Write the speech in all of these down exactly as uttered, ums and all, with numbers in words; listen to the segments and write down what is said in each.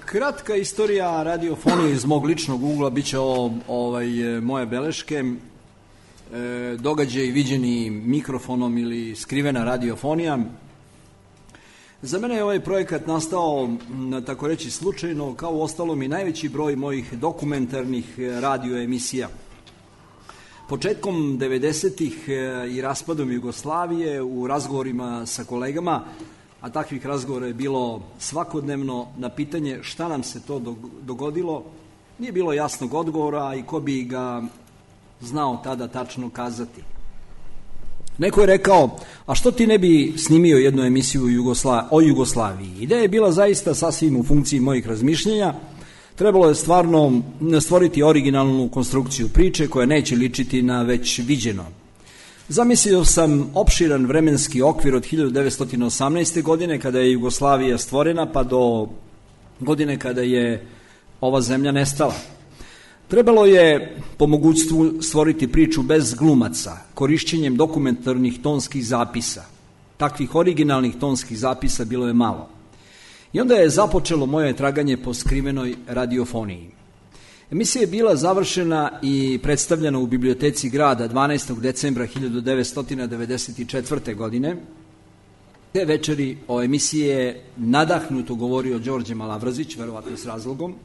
Kratka istorija radiofonije iz mog ličnog ugla, bit će ovo ovaj, moje beleške, e, događaj viđeni mikrofonom ili skrivena radiofonija. Za mene je ovaj projekat nastao, tako reći, slučajno, kao u ostalom i najveći broj mojih dokumentarnih radioemisija. Početkom devedesetih i raspadom Jugoslavije u razgovorima sa kolegama, a takvih razgovora je bilo svakodnevno, na pitanje šta nam se to dogodilo, nije bilo jasnog odgovora i ko bi ga znao tada tačno kazati. Neko je rekao, a što ti ne bi snimio jednu emisiju Jugosla... o Jugoslaviji? Ideja je bila zaista sasvim u funkciji mojih razmišljenja. Trebalo je stvarno stvoriti originalnu konstrukciju priče koja neće ličiti na već viđeno. Zamislio sam opširan vremenski okvir od hiljadu devetsto osamnaeste. godine, kada je Jugoslavija stvorena, pa do godine kada je ova zemlja nestala. Trebalo je po mogućstvu stvoriti priču bez glumaca, korišćenjem dokumentarnih tonskih zapisa. Takvih originalnih tonskih zapisa bilo je malo. I onda je započelo moje traganje po skrivenoj radiofoniji. Emisija je bila završena i predstavljena u biblioteci grada dvanaestog decembra hiljadu devetsto devedeset četvrte. godine. Te večeri o emisiji je nadahnuto govorio Đorđe Malavrazić, verovatno s razlogom.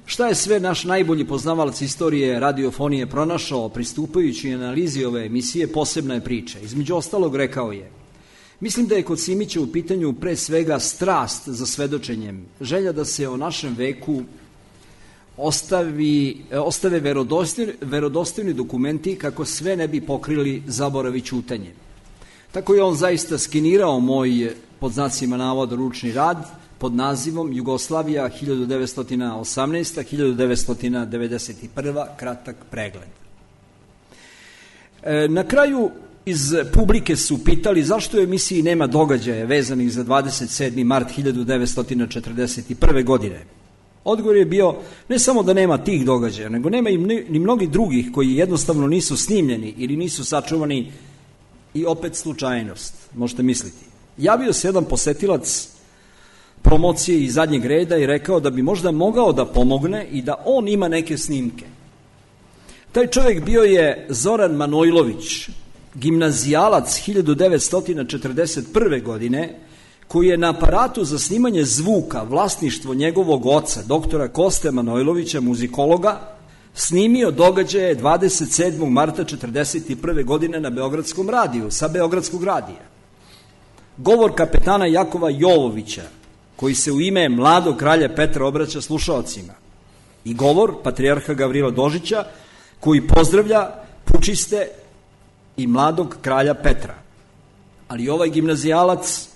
Šta je sve naš najbolji poznavalac istorije radiofonije pronašao pristupajući analizi ove emisije, posebna je priča. Između ostalog rekao je: mislim da je kod Simića u pitanju pre svega strast za svedočenjem, želja da se o našem veku ostavi, ostave verodostojni, verodostojni dokumenti kako sve ne bi pokrili zaborav i ćutanje. Tako je on zaista skenirao moj, pod znacima navoda, ručni rad pod nazivom Jugoslavija hiljadu devetsto osamnaesta do hiljadu devetsto devedeset prva. kratak pregled. E, na kraju iz publike su pitali zašto u emisiji nema događaja vezanih za dvadeset sedmi mart hiljadu devetsto četrdeset prve. godine. Odgovor je bio ne samo da nema tih događaja, nego nema i ni mnogi drugih koji jednostavno nisu snimljeni ili nisu sačuvani, i opet slučajnost, možete misliti. Javio se jedan posetilac promocije iz zadnjeg reda i rekao da bi možda mogao da pomogne i da on ima neke snimke. Taj čovjek bio je Zoran Manojlović, gimnazijalac hiljadu devetsto četrdeset prve. godine, koji je na aparatu za snimanje zvuka, vlasništvo njegovog oca, doktora Koste Manojlovića, muzikologa, snimio događaje dvadeset sedmog marta četrdeset prve. godine na Beogradskom radiju, sa Beogradskog radija. Govor kapetana Jakova Jovovića, koji se u ime mladog kralja Petra obraća slušaocima, i govor patrijarha Gavrila Dožića, koji pozdravlja pučiste i mladog kralja Petra. Ali ovaj gimnazijalac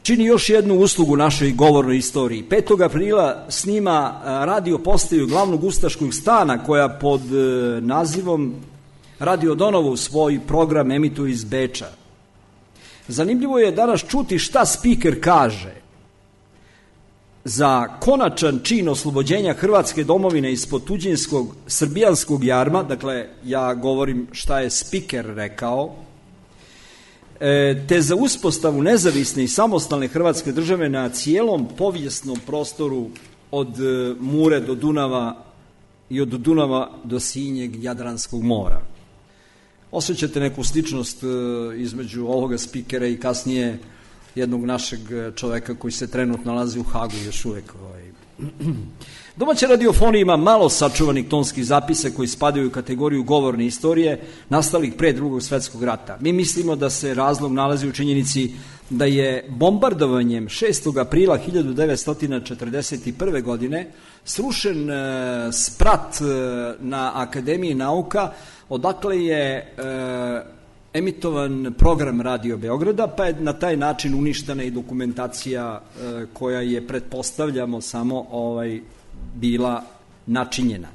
čini još jednu uslugu našoj govornoj istoriji. petog aprila snima radio postaju glavnog ustaškog stana, koja pod nazivom Radio Donovo svoj program emituje iz Beča. Zanimljivo je danas čuti šta spiker kaže. Za konačan čin oslobođenja Hrvatske domovine ispod tuđinskog srbijanskog jarma, dakle ja govorim šta je spiker rekao, te za uspostavu nezavisne i samostalne Hrvatske države na cijelom povijesnom prostoru od Mure do Dunava i od Dunava do Sinjeg Jadranskog mora. Osjećate neku sličnost između ovoga spikera i kasnije jednog našeg čoveka koji se trenutno nalazi u Hagu još uvek. Domaća radiofonija ima malo sačuvanih tonskih zapisa koji spadaju u kategoriju govorne istorije nastalih pre drugog svetskog rata. Mi mislimo da se razlog nalazi u činjenici da je bombardovanjem šestog aprila hiljadu devetsto četrdeset prve. godine srušen sprat na Akademiji nauka, odakle je e, emitovan program Radio Beograda, pa je na taj način uništena i dokumentacija e, koja je, pretpostavljamo, samo ovaj bila načinjena.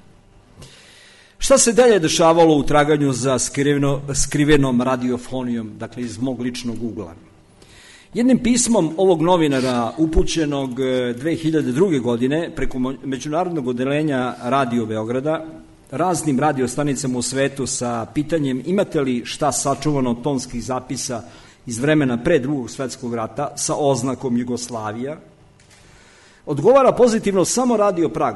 Šta se dalje dešavalo u traganju za skriveno, skrivenom radiofonijom, dakle iz mog ličnog ugla? Jednim pismom ovog novinara upućenog dve hiljade druge. godine preko međunarodnog odeljenja Radio Beograda raznim radiostanicama u svetu sa pitanjem imate li šta sačuvano tonskih zapisa iz vremena pre drugog svetskog rata sa oznakom Jugoslavija, Odgovara pozitivno samo Radio Prag.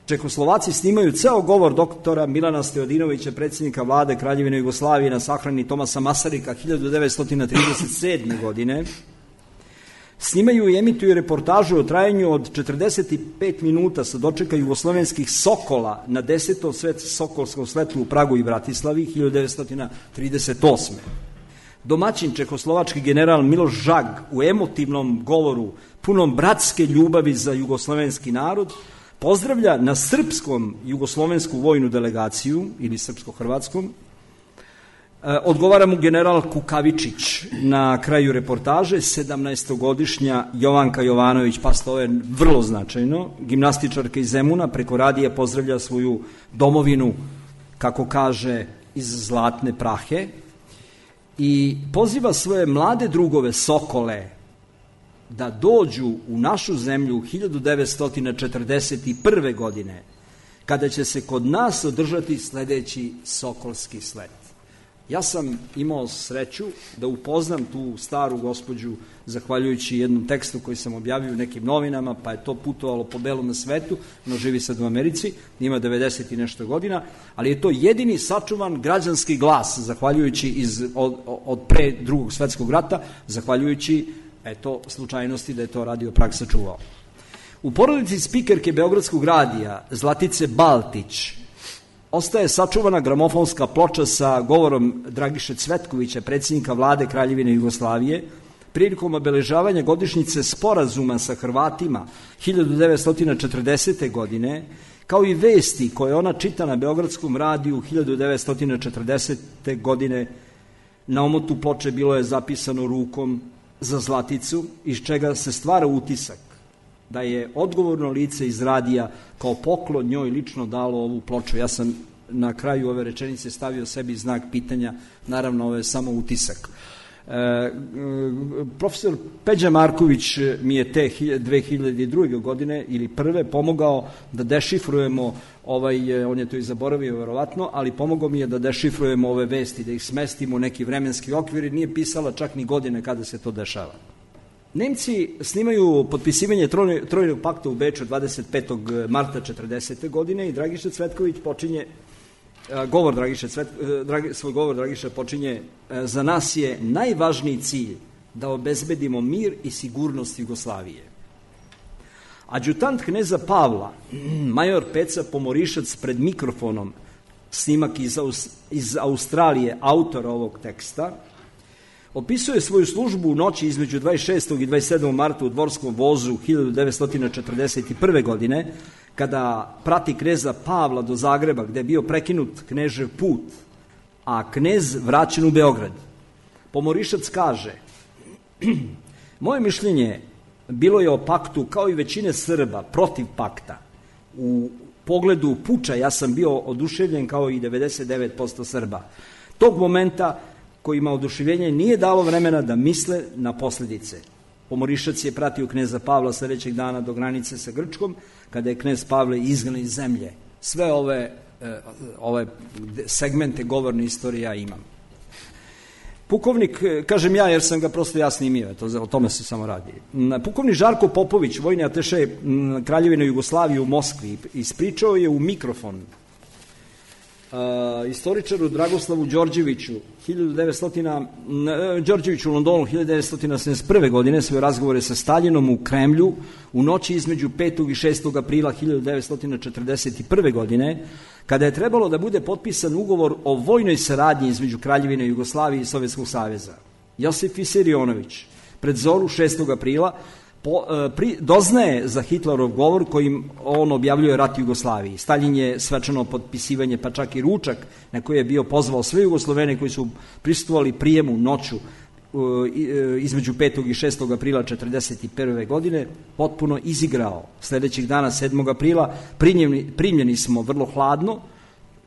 Čehoslovaci snimaju ceo govor doktora Milana Stojadinovića, predsjednika vlade Kraljevine Jugoslavije na sahrani Tomasa Masarika hiljadu devetsto trideset sedme. godine. Snimaju i emituju reportažu o trajanju od četrdeset pet minuta sa dočeka jugoslovenskih Sokola na desetom svet Sokolskom sletlu u Pragu i Bratislavi hiljadu devetsto trideset osme. Domaćin čehoslovački general Miloš Žag u emotivnom govoru punom bratske ljubavi za jugoslovenski narod pozdravlja na srpskom jugoslovensku vojnu delegaciju ili srpsko-hrvatskom. Odgovara mu general Kukavičić na kraju reportaže, sedamnaestogodišnja Jovanka Jovanović, pa to je vrlo značajno, gimnastičarka iz Zemuna, preko radija pozdravlja svoju domovinu, kako kaže, iz Zlatne Prahe i poziva svoje mlade drugove Sokole da dođu u našu zemlju hiljadu devetsto četrdeset prve. godine, kada će se kod nas održati sledeći Sokolski slet. Ja sam imao sreću da upoznam tu staru gospođu zahvaljujući jednom tekstu koji sam objavio u nekim novinama, pa je to putovalo po belom svetu, no živi sad u Americi, ima devedeset i nešto godina, ali je to jedini sačuvan građanski glas, zahvaljujući iz, od, od pre drugog svetskog rata, zahvaljujući eto, slučajnosti da je to Radio Prag sačuvao. U porodici spikerke Beogradskog radija Zlatice Baltić ostaje sačuvana gramofonska ploča sa govorom Dragiše Cvetkovića, predsjednika vlade Kraljevine Jugoslavije, prilikom obeležavanja godišnjice sporazuma sa Hrvatima hiljadu devetsto četrdesete. godine, kao i vesti koje ona čita na Beogradskom radiju hiljadu devetsto četrdesete. godine. Na omotu ploče bilo je zapisano rukom za Zlaticu, iz čega se stvara utisak da je odgovorno lice iz radija kao poklon njoj lično dalo ovu ploču. Ja sam na kraju ove rečenice stavio sebi znak pitanja, naravno ovo je samo utisak. E, profesor Peđa Marković mi je te dve hiljade druge. godine ili prve pomogao da dešifrujemo ovaj, on je to i zaboravio verovatno, ali pomogao mi je da dešifrujemo ove vesti, da ih smestimo u neki vremenski okvir i nije pisala čak ni godine kada se to dešava. Nemci snimaju potpisivanje Trojnog pakta u Beču dvadeset petog marta četrdesete. godine i Dragiša Cvetković počinje, govor Dragiše Cvetković, svoj govor Dragiša počinje, za nas je najvažniji cilj da obezbedimo mir i sigurnost Jugoslavije. Adjutant kneza Pavla, major Peca Pomorišac pred mikrofonom, snimak iz, iz Australije, autora ovog teksta, opisuje svoju službu u noći između dvadeset šestog i dvadeset sedmog marta u dvorskom vozu hiljadu devetsto četrdeset prve. godine, kada prati kneza Pavla do Zagreba, gde je bio prekinut knežev put, a knez vraćen u Beograd. Pomorišac kaže: moje mišljenje bilo je o paktu, kao i većine Srba, protiv pakta. U pogledu puča ja sam bio oduševljen kao i devedeset devet posto Srba. Tog momenta kojima oduševljenje nije dalo vremena da misle na posljedice. Pomorišac je pratio kneza Pavla sledećeg dana do granice sa Grčkom, kada je knez Pavle izgnan iz zemlje. Sve ove, ove segmente govorne istorije ja imam. Pukovnik, kažem ja jer sam ga prosto ja snimio, to, o tome se samo radi. Pukovnik Žarko Popović, vojni ataše Kraljevine Jugoslavije u Moskvi, ispričao je u mikrofon Uh, istoričaru Dragoslavu Đorđeviću hiljadu devetsto Đorđeviću u Londonu hiljadu devetsto sedamdeset prve. godine svoje razgovore sa Staljinom u Kremlju u noći između petog i šestog aprila hiljadu devetsto četrdeset prve. godine, kada je trebalo da bude potpisan ugovor o vojnoj saradnji između Kraljevine Jugoslavije i Sovjetskog saveza. Josif Visarionović pred zoru šestog aprila Po, pri, doznaje za Hitlerov govor kojim on objavljuje rat Jugoslaviji. Staljin je svečano potpisivanje, pa čak i ručak na koji je bio pozvao sve Jugoslovene koji su prisustvovali prijemu noću između petog i šestog aprila četrdeset prve. godine, potpuno izigrao. Sledećeg dana, sedmog aprila, primljeni, primljeni smo vrlo hladno,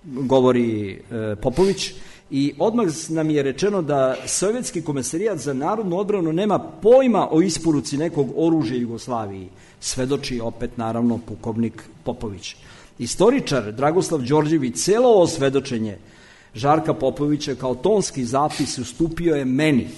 govori e, Popović, i odmah nam je rečeno da Sovjetski komesarijat za narodnu odbranu nema pojma o isporuci nekog oružja Jugoslaviji, svedoči opet naravno pukovnik Popović. Istoričar Dragoslav Đorđević celo ovo svedočenje Žarka Popovića kao tonski zapis ustupio je meni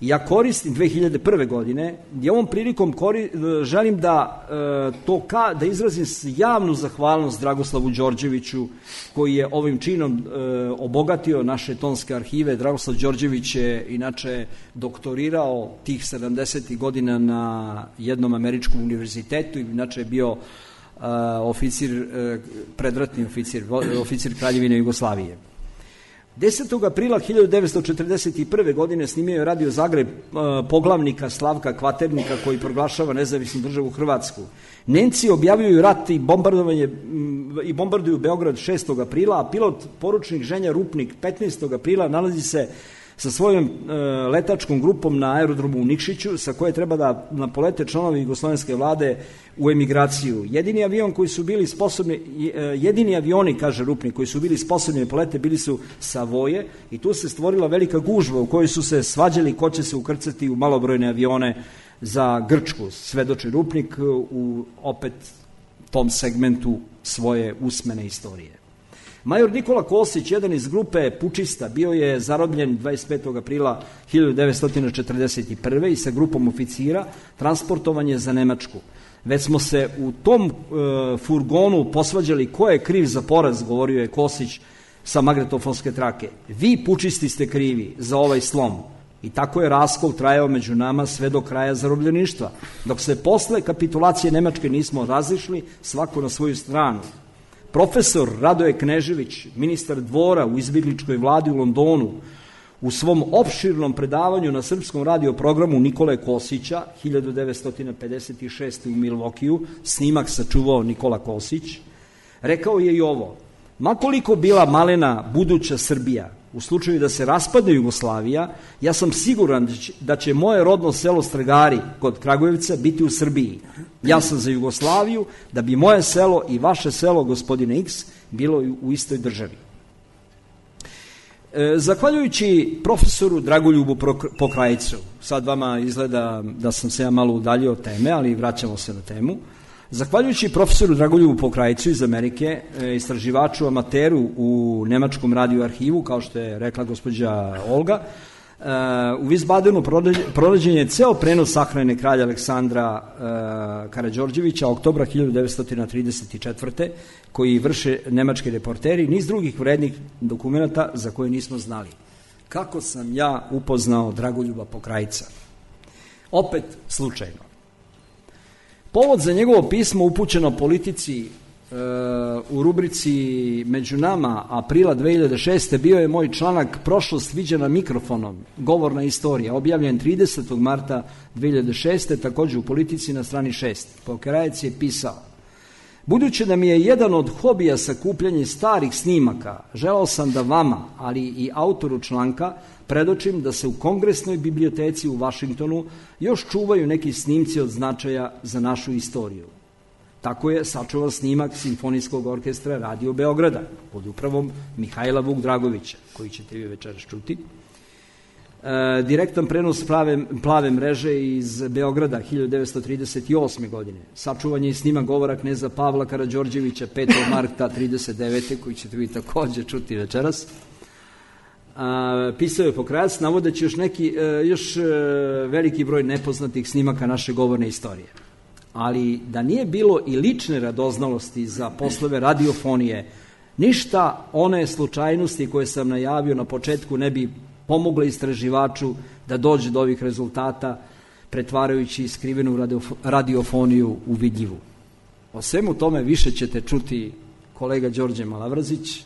Ja koristim dve hiljade prve godine i ovom prilikom kori, želim da e, to ka, da izrazim javnu zahvalnost Dragoslavu Đorđeviću koji je ovim činom e, obogatio naše tonske arhive. Dragoslav Đorđević je inače doktorirao tih sedamdesetih godina na jednom američkom univerzitetu i inače je bio e, oficir, e, predratni oficir, oficir Kraljevine Jugoslavije. desetog aprila hiljadu devetsto četrdeset prve. godine snimio je Radio Zagreb poglavnika Slavka Kvaternika koji proglašava nezavisnu državu Hrvatsku. Nemci objavljuju rat i bombardovanje i bombarduju Beograd šestog aprila, a pilot poručnik Ženja Rupnik petnaestog aprila nalazi se sa svojom e, letačkom grupom na aerodromu u Nikšiću, sa koje treba da napolete članovi jugoslovenske vlade u emigraciju. Jedini avion koji su bili sposobni, jedini avioni, kaže Rupnik, koji su bili sposobni da polete bili su Savoje i tu se stvorila velika gužva u kojoj su se svađali ko će se ukrcati u malobrojne avione za Grčku. Svedoči Rupnik u opet tom segmentu svoje usmene istorije. Major Nikola Kosić, jedan iz grupe pučista, bio je zarobljen dvadeset petog aprila hiljadu devetsto četrdeset prve. i sa grupom oficira transportovan je za Nemačku. Već smo se u tom e, furgonu posvađali ko je kriv za poraz, govorio je Kosić sa magnetofonske trake. Vi pučisti ste krivi za ovaj slom. I tako je raskol trajao među nama sve do kraja zarobljeništva, dok se posle kapitulacije Nemačke nismo razišli, svako na svoju stranu. Profesor Radoje Knežević, ministar dvora u izbjegličkoj vladi u Londonu, u svom opširnom predavanju na srpskom radio programu Nikole Kosića, hiljadu devetsto pedeset šeste. u Milvokiju, snimak sačuvao Nikola Kosić, rekao je i ovo: makoliko bila malena buduća Srbija, u slučaju da se raspadne Jugoslavija, ja sam siguran da će moje rodno selo Stragari kod Kragujevca biti u Srbiji. Ja sam za Jugoslaviju, da bi moje selo i vaše selo, gospodine X, bilo u istoj državi. E, zahvaljujući profesoru Dragoljubu Pokrajcu, sad vama izgleda da sam se ja malo udaljio od teme, ali vraćamo se na temu. Zahvaljujući profesoru Dragoljubu Pokrajcu iz Amerike, istraživaču amateru u Nemačkom radio arhivu, kao što je rekla gospođa Olga, u Wiesbadenu pronađen je ceo prenos sahrane kralja Aleksandra Karađorđevića oktobra hiljadu devetsto trideset četvrte. koji vrše nemački reporteri, niz drugih vrednih dokumenta za koje nismo znali. Kako sam ja upoznao Dragoljuba Pokrajca? Opet slučajno. Povod za njegovo pismo upućeno politici e, u rubrici Među nama aprila dve hiljade šeste. bio je moj članak Prošlost viđena mikrofonom, govorna istorija, objavljen tridesetog marta dve hiljade šeste. također u politici na strani šest. Pokrajac je pisao: budući da mi je jedan od hobija sakupljanje starih snimaka, želao sam da vama, ali i autoru članka, predočim da se u Kongresnoj biblioteci u Vašingtonu još čuvaju neki snimci od značaja za našu istoriju. Tako je sačuvan snimak Simfonijskog orkestra Radio Beograda pod upravom Mihajla Vuk Dragovića, koji ćete vi večeras čuti. E, direktan prenos plave, plave mreže iz Beograda hiljadu devetsto trideset osme. godine. Sačuvan je i snimak govora kneza Pavla Karađorđevića petog marta trideset devete. koji ćete vi također čuti večeras. A, pisao je Pokrajac, navodeći još, neki, još veliki broj nepoznatih snimaka naše govorne istorije. Ali da nije bilo i lične radoznalosti za poslove radiofonije, ništa one slučajnosti koje sam najavio na početku ne bi pomogle istraživaču da dođe do ovih rezultata, pretvarajući skrivenu radiofoniju u vidljivu. O svemu tome više ćete čuti kolega Đorđe Malavrzić